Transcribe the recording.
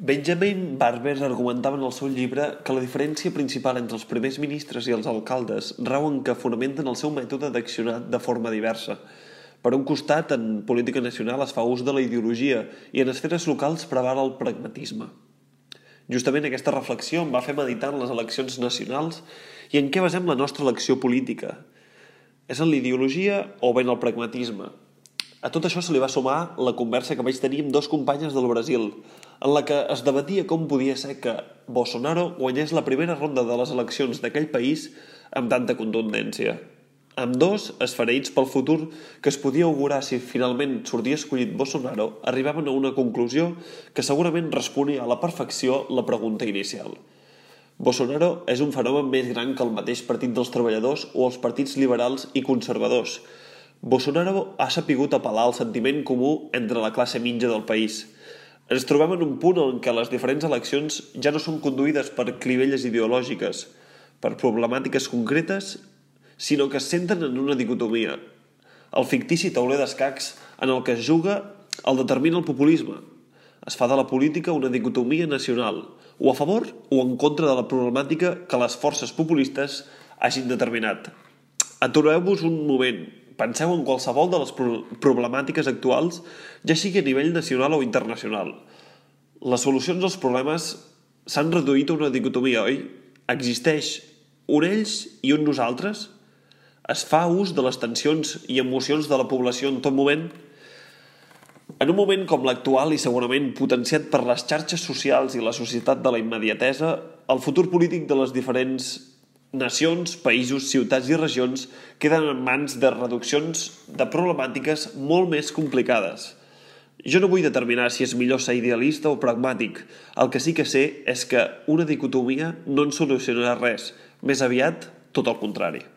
Benjamin Barber argumentava en el seu llibre que la diferència principal entre els primers ministres i els alcaldes rau en que fonamenten el seu mètode d'accionar de forma diversa. Per un costat, en política nacional es fa ús de la ideologia i en esferes locals preval el pragmatisme. Justament aquesta reflexió em va fer meditar en les eleccions nacionals i en què basem la nostra elecció política. És en l'ideologia o bé en el pragmatisme? A tot això se li va sumar la conversa que vaig tenir amb dos companyes del Brasil, en la que es debatia com podia ser que Bolsonaro guanyés la primera ronda de les eleccions d'aquell país amb tanta contundència. Ambdós, esfereïts pel futur que es podia augurar si finalment sortia escollit Bolsonaro, arribaven a una conclusió que segurament responia a la perfecció la pregunta inicial. Bolsonaro és un fenomen més gran que el mateix Partit dels Treballadors o els partits liberals i conservadors. Bolsonaro ha sapigut apel·lar al sentiment comú entre la classe mitja del país. Ens trobem en un punt en què les diferents eleccions ja no són conduïdes per clivelles ideològiques, per problemàtiques concretes, sinó que es centren en una dicotomia. El fictici tauler d'escacs en el que es juga el determina el populisme. Es fa de la política una dicotomia nacional, o a favor o en contra de la problemàtica que les forces populistes hagin determinat. Atureu-vos un moment. Penseu en qualsevol de les problemàtiques actuals, ja sigui a nivell nacional o internacional. Les solucions als problemes s'han reduït a una dicotomia, oi? Existeix un ells i un nosaltres? Es fa ús de les tensions i emocions de la població en tot moment? En un moment com l'actual i segurament potenciat per les xarxes socials i la societat de la immediatesa, el futur polític de les diferents nacions, països, ciutats i regions queden en mans de reduccions de problemàtiques molt més complicades. Jo no vull determinar si és millor ser idealista o pragmàtic. El que sí que sé és que una dicotomia no ens solucionarà res, més aviat tot el contrari.